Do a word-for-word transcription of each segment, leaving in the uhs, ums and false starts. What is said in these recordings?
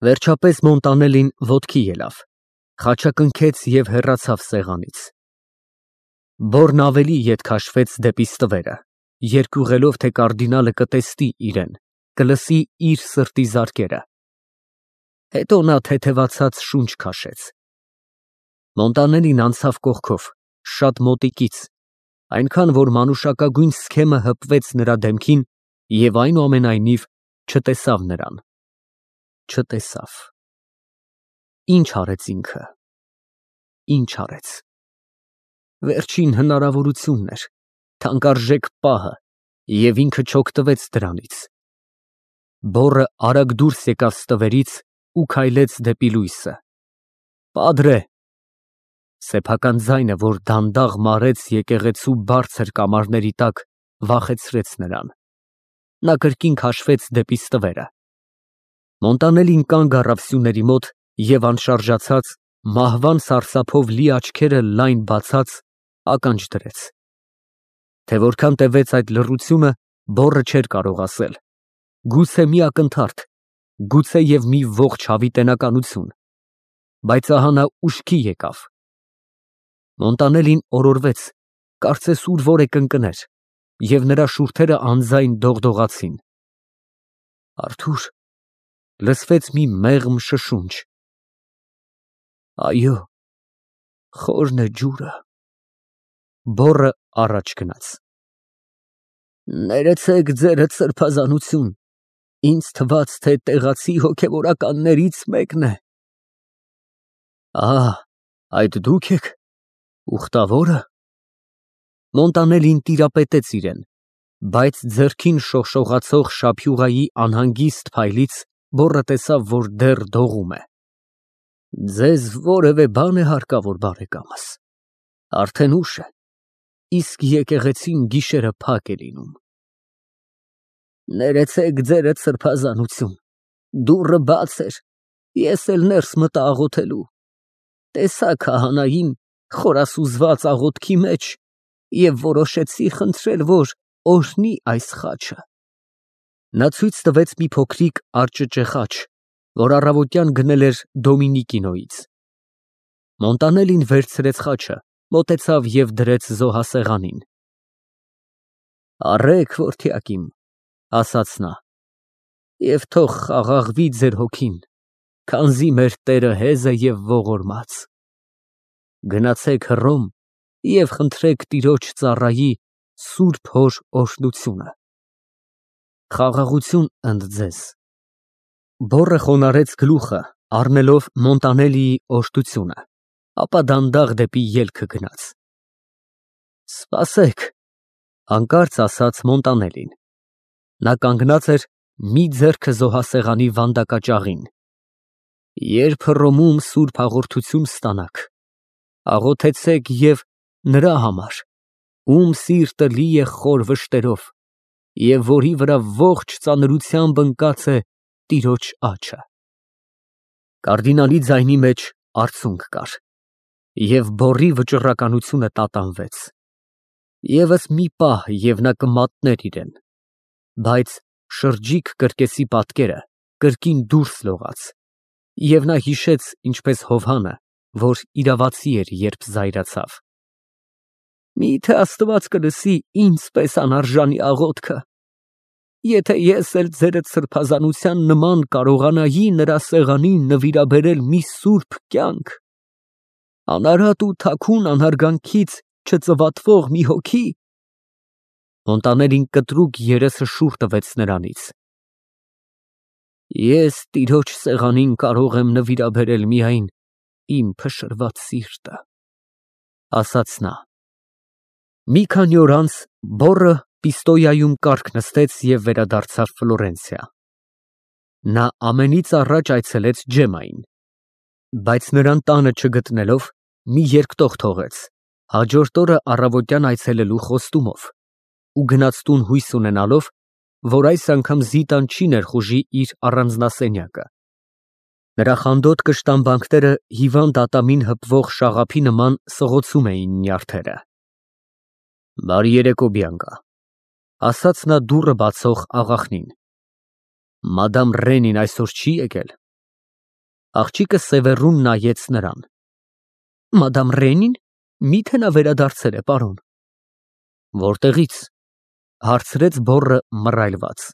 Վերջապես Մոնտանելին ոտքի ելավ, խաչակնքեց և հեռացավ սեղանից։ Բոռն ավելի ետ քաշվեց դեպի ստվերը, երկյուղելով, թե կարդինալը կտեսնի իրեն, կլսի իր սրտի զարկերը։ Հետո նա թեթևացած շունչ քաշեց։ Մոնտանելին անցավ կողքով, շատ մոտիկից, այնքան, որ մանուշակագույն սքեմը հպվեց նրա դեմքին և այնուամենայնիվ չտեսավ նրան։ Չտեսավ։ Ինչ արեց ինքը, ինչ արեց։ Վերջին հնարավորությունն էր, թանկարժեք պահը, և ինքը չօգտվեց դրանից։ Բոռը արագ դուրս եկավ ստվերից ու քայլեց դեպի լույսը։ Պադրե… Սեփական ձայնը, որ դանդաղ մարեց եկեղեցու բարձր կամարների տակ, վախեցրեց նրան։ Նա կրկին քաշվեց դեպի ստվերը։ Մոնտանելին կանգ առավ սյուների մոտ և անշարժացած, մահվան սարսափով լի աչքերը լայն բացած, ականջ դրեց։ Թե որքան տևեց այդ լռությունը, բոռը չէր կարող ասել։ Գուցե մի ակնթարթ, գուցեև մի ողջ հավիտենականություն, բայց ահա նա ուշքի եկավ։ Մոնտանելին օրորվեց, կարծես ուր֊որ է կընկներ, և նրա շուրթերը անձայն դողդողացին։ Արթուր… Լսվեց մի մեղմ շշունչ։ Այո, խորն է ջուրը։ Բոռը առաջ գնաց։ Ներեցեք ձերդ սրբազանություն, ինձ թվաց, թե տեղացի հոգևորականներից մեկն է։ Ա, այդ դու՞ք եք, ուխտավո՞րը։ Մոնտանելին տիրապետեց իրան, բայց ձեռքին շողշողացող շափյուղայի անհանգիստ փայլից բոռը տեսավ, որ դեռ դողում է։ Ձեզ որևէ բան է հարկավոր, բարեկամս, արդեն ուշ է, իսկ եկեղեցին գիշերը փակ է լինում։ Ներեցեք ձերդ սրբազանություն, դուռը բաց էր, ես էլ ներս մտա աղոթելու, տեսա քահանային խորասուզված աղոթքի մեջ և որոշեցի խնդրել, որ օրհնի այս խաչը։ Նա ցույց տվեց մի փոքրիկ արճճե խաչ, որ առավոտյան գնել էր Դոմինիկինոյից։ Մոնտանելին վերցրեց խաչը, մոտեցավ և դրեց զոհասեղանին։ Առեք, որդյակ իմ, ասաց նա, և թող խաղաղվի ձեր հոգին, քանզի մեր Տերը հեզ է և ողորմած։ Գնացեք Հռոմ և խնդրեք տիրոջ ծառայի սուրբ հոր օրհնությունը։ Խաղաղություն ընդ ձեզ։ Բոռը խոնարհեց գլուխը, առնելով Մոնտանելիի օժտությունը, ապա դանդաղ դեպի ելքը գնաց։ Սպասեք, հանկարծ ասաց Մոնտանելին։ Նա կանգնած էր, մի ձեռքը զոհասեղանի վանդակաճաղին։ Երբ Հռոմում սուրբ հաղորդություն ստանաք, աղոթեցեք և նրա համար, ում սիրտը լի է խոր վշտերով և որի վրա ողջ ծանրությամբ ընկած է տիրոջ աջը։ Կարդինալի ձայնի մեջ արցունք կար, և բոռի վճռականությունը տատանվեց։ Եվս մի պահ, և նա կմատներ իրեն, բայց շրջիկ կրկեսի պատկերը կրկին դուրս լողաց, և նա հիշեց, ինչպես Հովհանը, որ իրավացի էր, երբ զայրացավ։ Մի՞թե Աստված կլսի ինձ պես անարժանի աղոթքը, եթե ես էլ ձերդ սրբազանության նման կարողանայի նրա սեղանին նվիրաբերել մի սուրբ կյանք, անարատ ու թաքուն անհարգանքից չծվատվող մի հոգի… Մոնտանելին կտրուկ երեսը շուռ տվեց նրանից։ Ես տիրոջ սեղանին կարող եմ նվիրաբերել միայն իմ փշրված սիրտը, ասաց նա։ Մի քանի օր անց բոռը Պիստոյայում կառք նստեց և վերադարձավ Ֆլորենցիա։ Նա ամենից առաջ այցելեց Ջեմմային, բայց նրան տանը չգտնելով, մի երկտող թողեց, հաջորդ օրը առավոտյան այցելելու խոստումով, ու գնաց տուն հույս ունենալով, որ այս անգամ Զիտան չի ներխուժի իր առանձնասենյակը։ Նրա խանդոտ կշտամբանքները հիվանդ ատամին հպվող շաղափի նման սղոցում էին նյարդերը։ Բարի երեկո, Բիանկա, ասաց նա դուռը բացող աղախնին։ Մադամ Ռենին այսօր չի եկել։ Աղջիկը սևեռուն նայեց նրան։ Մադամ Ռենին, միթե նա վերադարձել է, պարոն։ Որտեղից, հարցրեց բոռը մռայլված։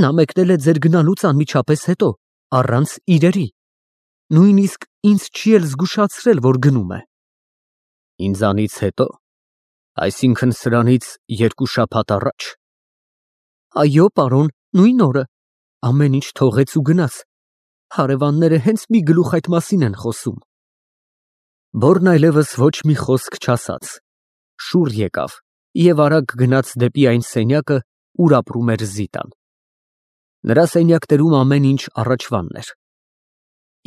Նա մեկնել է ձեր գնալուց անմիջապես հետո, առանց իրերի, նույնիսկ ինձ չի էլ զգուշացրել, որ գնում է։ Ինձանից հետո, այսինքն սրանից երկու շաբաթ առաջ։ Այո, պարոն, նույն օրը, ամեն ինչ թողեց ու գնաց։ Հարևանները հենց մի գլուխ այդ մասին են խոսում։ Բոռն այլևս ոչ մի խոսք չասաց, շուռ եկավ և արագ գնաց դեպի այն սենյակը, ուր ապրում էր Զիտան։ Նրա սենյակներում ամեն ինչ առաջվանն էր։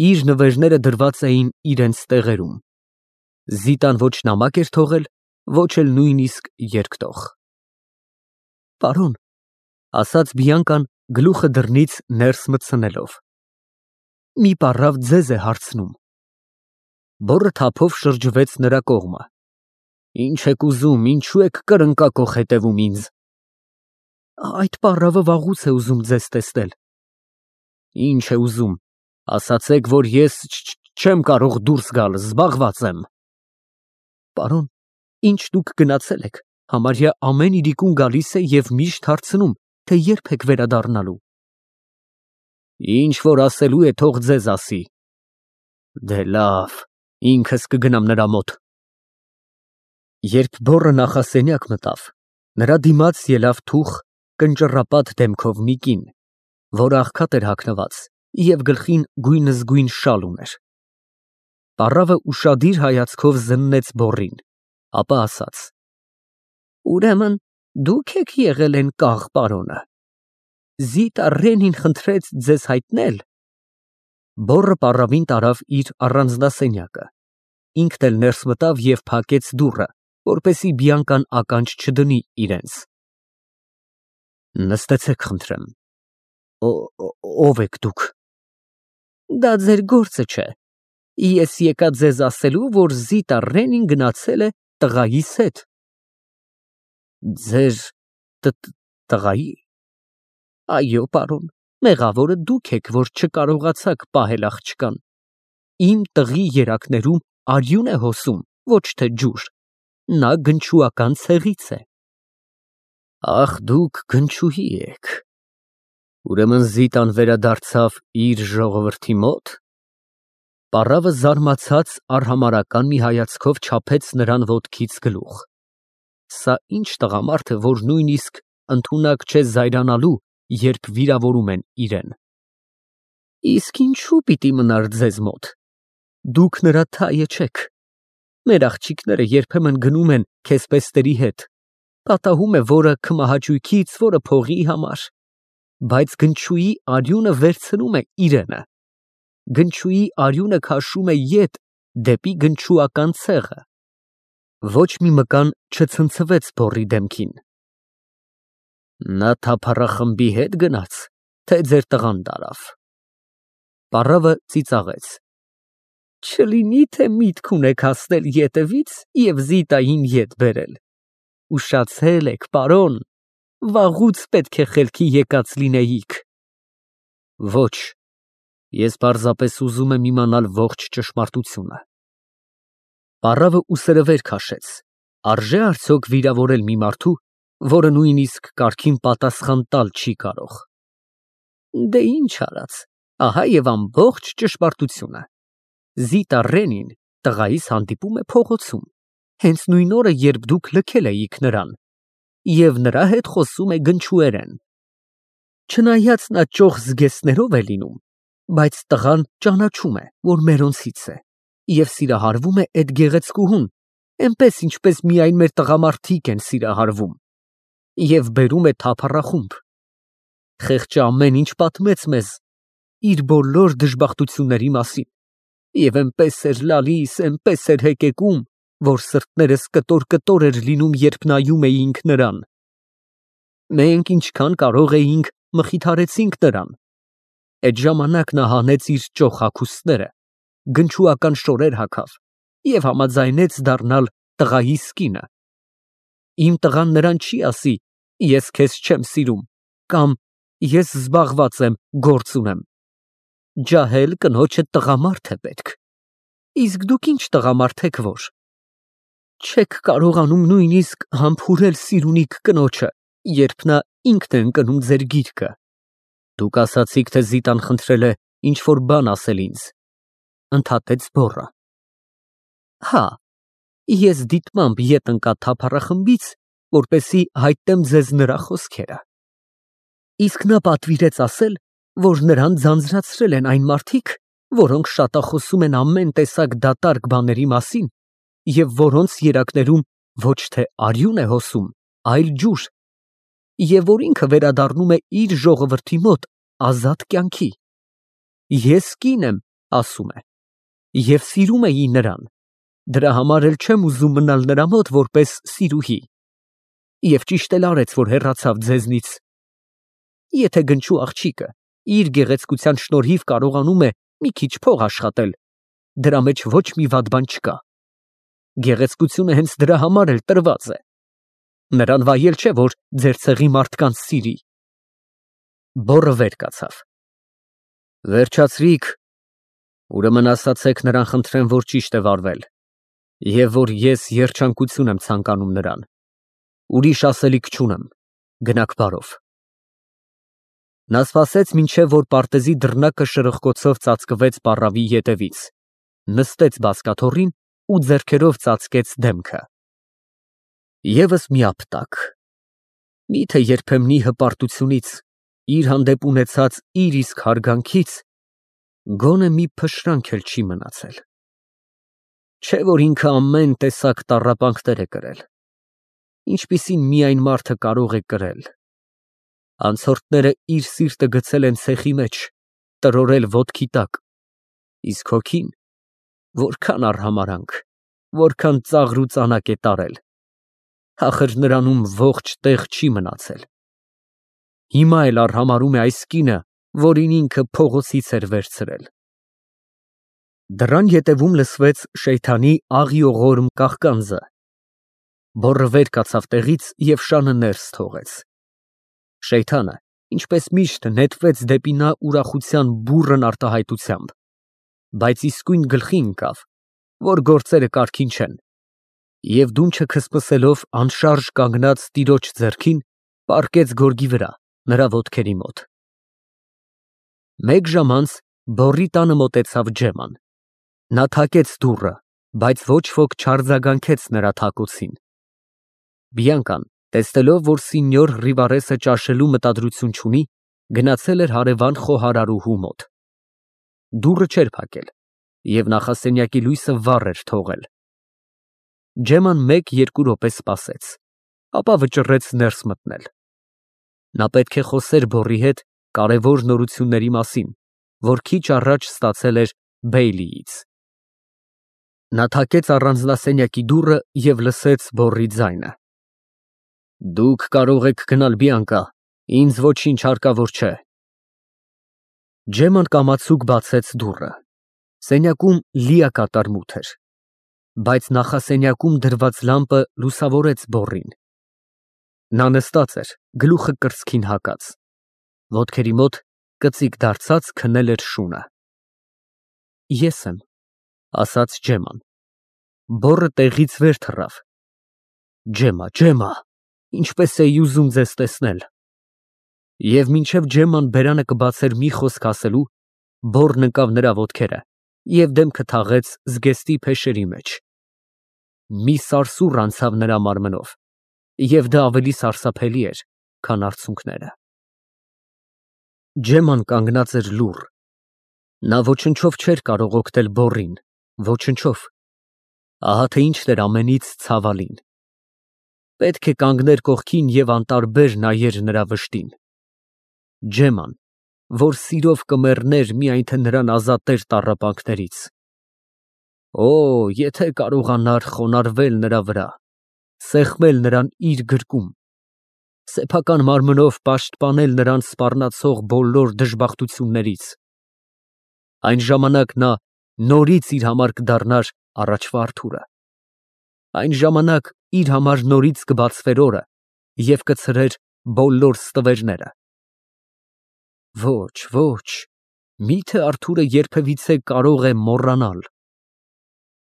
Իր նվերները դրված էին իրենց տեղերում։ Զիտան ոչ նամակ էր թողել, ոչ էլ նույնիսկ երկտող։ Պարոն, ասաց Բիանկան գլուխը դռնից ներս մտցնելով, մի պառավ ձեզ է հարցնում։ Բոռը թափով շրջվեց նրա կողմը։ Ինչ եք ուզում, ինչու եք կրնկակոխ հետևում ինձ։ Այդ պառավը վաղուց է ուզում ձեզ տեսնել։ Ինչ է ուզում, ասացեք, որ ես չեմ կարող դուրս գալ, զբաղված եմ։ Պարոն, ինչ դուք գնացել եք, համարյա ամեն իրիկուն գալիս է և միշտ հարցնում, թե երբ եք վերադառնալու։ Ինչ որ ասելու է, թող ձեզ ասի։ Դե լավ, ինքս կգնամ նրա մոտ։ Երբ բոռը նախասենյակ մտավ, նրա դիմաց ելավ թուխ, կնճռապատ դեմքով մի կին, որը աղքատ էր հագնված և գլխին գույնզգույն շալ ուներ։ Պառավը ուշադիր հայացքով զննեց բոռին, ապա ասաց. Ուրեմն դուք եք եղել են կաղ պարոնը։ Զիտա Ռենին խնդրեց ձեզ հայտնել։ Բոռը պառավին տարավ իր առանձնասենյակը, ինքն էլ ներս մտավ և փակեց դուռը, որպեսզի Բիանկան ականջ չդնի իրենց։ Նստեցեք, խնդրեմ։ Ո՞վ եք դուք։ Դա ձեր գործը չէ։ Ես եկա ձեզ ասելու, որ Զիտա Ռենին գնացել է տղայիս հետ։ Ձեր տղայի։ Այո, պարոն, մեղավորը դուք եք, որ չկարողացաք պահել աղջկան։ Իմ տղի երակներում արյուն է հոսում, ոչ թե ջուր։ Նա գնչուական ցեղից է։ Ախ, դուք գնչուհի եք։ Ուրեմն Զիտան վերադարձավ իր ժողովրդի մոտ։ Պառավը զարմացած արհամարհական մի հայացքով չափեց նրան ոտքից գլուխ։ Սա ինչ տղամարդ է, որ նույնիսկ ընդունակ չէ զայրանալու, երբ վիրավորում են իրեն։ Իսկ ինչու պիտի մնար ձեզ մոտ։ Դուք նրա թայը չեք։ Մեր աղջիկները երբեմն գնում են քեսպեստերի հետ։ Պատահում է, որը քմահաճույքից, որը փողի համար։ Բայց գնչուի արյունը վերցնում է իրենը։ Գնչուի արյունը քաշում է ետ դեպի գնչուական ցեղը։ Ոչ մի մկան չցնցվեց բոռի դեմքին։ Նա թափառախմբի հետ գնաց, թե ձեր տղան տարավ։ Պառավը ծիծաղեց։ Չլինի, թե միտք ունեք հասնել ետևից և Զիտային ետ բերել։ Ուշացել եք, պարոն, վաղուց պետք է խելքի եկած լինեիք։ Ոչ, ես պարզապես ուզում եմ իմանալ ողջ ճշմարտությունը։ Պառավը ուսերը վեր քաշեց, արժե արդյոք վիրավորել մի մարդու, որը նույնիսկ կարգին պատասխան տալ չի կարող։ Դե ինչ արած, ահա և ամբողջ ճշմարտությունը։ Զիտա Ռենին տղայիս հանդիպում է փողոցում, հենց նույն օրը, երբ դուք լքել էիք նրան, և նրա հետ խոսում է գնչուերեն։ Չնայած նա ճոխ զգեստներով է լինում, բայց տղան ճանաչում է, որ մերոնցից է, և սիրահարվում է էդ գեղեցկուհուն, էնպես, ինչպես միայն մեր տղամարդիկ են սիրահարվում, և բերում է թափառախումբ։ Խեղճը ամեն ինչ պատմեց մեզ իր բոլոր դժբախտությունների մասին, և էնպես էր լալիս, էնպես էր հեկեկում, որ սրտներս կտոր֊կտոր էր լինում, երբ նայում էինք նրան։ Մենք ինչքան կարող էինք մխիթարեցինք նրան։ Այդ ժամանակ նա հանեց իր ճոխ հագուստները, գնչուական շորեր հագավ և համաձայնեց դառնալ տղայիս կինը։ Իմ տղան նրան չի ասի. ես քեզ չեմ սիրում, կամ ես զբաղված եմ, գործ ունեմ։ Ջահել կնոջը տղամարդ է պետք։ Իսկ դուք ինչ տղամարդ եք, որ չեք կարողանում նույնիսկ համբուրել սիրունիք կնոջը, երբ նա ինքն է ընկնում ձեր գիրկը։ Դուք ասացիք, թե Զիտան խնդրել է ինչ-որ բան ասել ինձ, ընդհատեց բոռը։ Հա, ես դիտմամբ ետ ընկա թափառախմբից, որպեսզի հայտնեմ ձեզ նրա խոսքերը։ Իսկ նա պատվիրեց ասել, որ նրան ձանձրացրել են այն մարդիկ, որոնք շատախոսում են ամեն տեսակ դատարկ բաների մասին, և որոնց երակներում ոչ թե արյուն է հոսում, այլ ջուր, և որ ինքը վերադառնում է իր ժողովրդի մոտ ազատ կյանքի։ Ես կին եմ, ասում է, և սիրում էի նրան, դրա համար էլ չեմ ուզում մնալ նրա մոտ որպես սիրուհի, և ճիշտ էլ արեց, որ հեռացավ ձեզնից։ Եթե գնչու աղջիկը իր գեղեցկության շնորհիվ կարողանում է մի քիչ փող աշխատել, դրա մեջ ոչ մի վատ բան չկա։ Գեղեցկությունը հենց դրա համար էլ տրված է։ Նրան վայել չէ, որ ձեր ցեղի մարդկանց սիրի։ Բոռը վեր կացավ։ Վերջացրիք, ուրեմն ասացեք նրան, խնդրեմ, որ ճիշտ է վարվել, և որ ես երջանկություն եմ ցանկանում նրան։ Ուրիշ ասելիք չունեմ, գնաք բարով։ Նա սպասեց, մինչև որ պարտեզի դռնակը շրխկոցով ծածկվեց պառավի ետևից, նստեց բազկաթոռին ու ձեռքերով ծածկեց դեմքը։ Եվս մի ապտակ։ Միթե երբեմնի հպարտությունից, իր հանդեպ ունեցած իր իսկ հարգանքից գոնե մի փշրանք էլ չի մնացել։ Չէ որ ինքը ամեն տեսակ տառապանքներ է կրել, ինչպիսին միայն մարդը կարող է կրել։ Անցորդները իր սիրտը գցել են ցեխի մեջ, տրորել ոտքի տակ, իսկ հոգին որքան արհամարհանք, որքան ծաղր ու ծանակ է տարել, ախր նրանում ողջ տեղ չի մնացել։ Հիմա էլ արհամարհում է այս կինը, որին ինքը փողոցից էր վերցրել։ Դռան ետևում լսվեց Շեյթանի աղիողորմ կաղկանձը։ Բոռը վեր կացավ տեղից և շանը ներս թողեց։ Շեյթանը, ինչպես միշտ, նետվեց դեպի նա ուրախության բուռն արտահայտությամբ, բայց իսկույն գլխի ընկավ, որ գործերը կարգին չեն, և դունչը քսփսելով անշարժ կանգնած տիրոջ ձեռքին, պառկեց գորգի վրա, նրա ոտքերի մոտ։ Մեկ ժամ անց բոռի տանը մոտեցավ Ջեման։ Նա թակեց դուռը, բայց ոչ ոք չարձագանքեց նրա թակոցին։ Բիանկան, տեսնելով, որ սինյոր Ռիվարեսը ճաշելու մտադրություն չունի, գնացել էր հարևան խոհարարուհու մոտ։ Դուռը չէր փակել, և նախասենյակի լույսը վառ էր թողել։ Ջեման մեկ֊երկու րոպե սպասեց, ապա վճռեց ներս մտնել։ Նա պետք է խոսեր բոռի հետ կարևոր նորությունների մասին, որ քիչ առաջ ստացել էր Բեյլիից։ Նա թակեց առանձնասենյակի դուռը և լսեց բոռի ձայնը. Դուք կարող եք գնալ, Բիանկա, ինձ ոչինչ հարկավոր չէ։ Ջեման կամացուկ բացեց դուռը։ Սենյակում լիակատար մութ էր, բայց նախասենյակում դրված լամպը լուսավորեց բոռին։ Նա նստած էր, գլուխը կրծքին հակած, ոտքերի մոտ կծիկ դարձած քնել էր շունը։ Ես եմ, ասաց Ջեման։ Բոռը տեղից վեր թռավ։ Ջեմա, Ջեմա, ինչպես էի ուզում ձեզ տեսնել։ Եվ մինչև Ջեման բերանը կբացեր մի խոսք ասելու, բոռն ընկավ նրա ոտքերը և դեմքը թաղեց զգեստի փեշերի մեջ։ Մի սարսուռ անցավ նրա մարմնով, և դա ավելի սարսափելի էր, քան արցունքները։ Ջեման կանգնած էր լուռ։ Նա ոչնչով չէր կարող օգնել բոռին, ոչնչով։ Ահա թե ինչն էր ամենից ցավալին։ Պետք է կանգներ կողքին և անտարբեր նայեր նրա վշտին։ Ջեման, որ սիրով կմեռներ, միայն թե նրան ազատեր տառապանքներից։ Օ, եթե կարողանար խոնարհվել նրա վրա, սեղմել նրան իր գրկում, սեփական մարմնով պաշտպանել նրան սպառնացող բոլոր դժբախտություններից, այն ժամանակ նա նորից իր համար կդառնար առաջվա Արթուրը, այն ժամանակ իր համար նորից կբացվեր օրը և կցրեր բոլոր ստվերները։ Ոչ, ոչ, Միթե Արթուրը երբևիցե կարող է մոռանալ։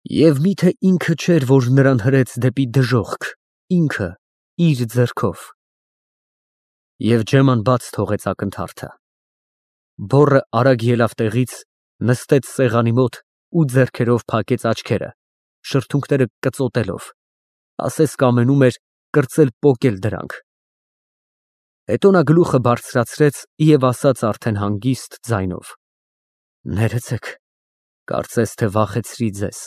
Եվ միթե ինքը չէր, որ նրան հրեց դեպի դժոխք, ինքը իր ձեռքով։ Եվ Ջեման բաց թողեց ակնթարթը։ Բոռը արագ ելավ տեղից, նստեց սեղանի մոտ ու ձեռքերով փակեց աչքերը, շրթունքները կծոտելով, ասես կամենում էր կրծել պոկել դրանք։ Հետո նա գլուխը բարձրացրեց և ասաց արդեն հանգիստ ձայնով. Ներեցեք, կարծես թե վախեցրի ձեզ։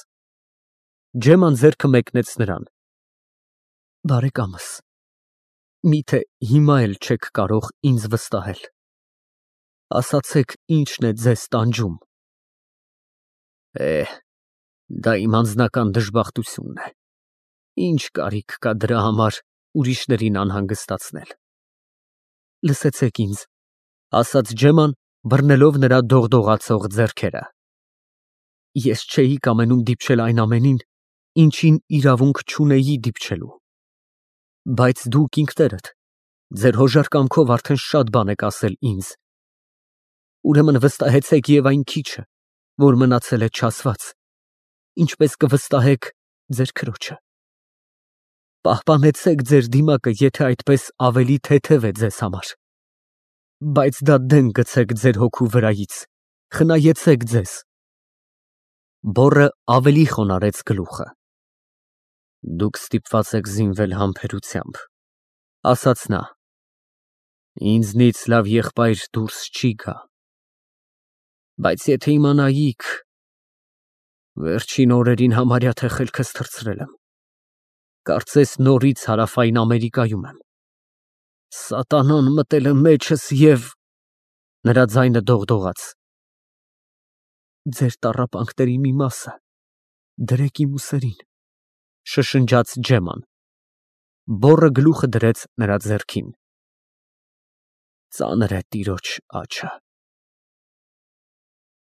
Ջեման ձեռքը մեկնեց նրան։ Բարեկամս, միթե հիմա էլ չեք կարող ինձ վստահել։ Ասացեք, ինչն է ձեզ տանջում։ Է, դա իմ անձնական դժբախտությունն է։ Ինչ կարիք կա դրա համար ուրիշներին անհանգստացնել։ Լսեցեք ինձ, ասաց Ջեման, բռնելով նրա դողդողացող ձեռքերը։ Ես չէի կամենում դիպչել այն ամենին, ինչին իրավունք չունեի դիպչելու։ Բայց դուք ինքներդ ձեր հոժար կամքով արդեն շատ բան եք ասել ինձ։ Ուրեմն վստահեցեք և այն քիչը, որ մնացել է չասված, ինչպես կվստահեք ձեր քրոջը։ Պահպանեցեք ձեր դիմակը, եթե այդպես ավելի թեթև է ձեզ համար։ Բայց դա դեն գցեք ձեր հոգու վրայից, խնայեցեք ձեզ։ Բոռը ավելի խոնարհեց գլուխը։ Դուք ստիպված եք զինվել համբերությամբ, ասաց նա։ Ինձնից լավ եղբայր դուրս չի գա։ Բայց եթե իմանայիք, վերջին օրերին համարյա թե խելքս թռցրել եմ, կարծես նորից Հարավային Ամերիկայում եմ։ Սատանան մտել է մեջս և… Նրա ձայնը դողդողաց։ Ձեր տառապանքների մի մասը դրեք իմ ուսերին, շշնջաց Ջեման։ Բոռը գլուխը դրեց նրա ձեռքին։ Ծանր է տիրոջ աջը։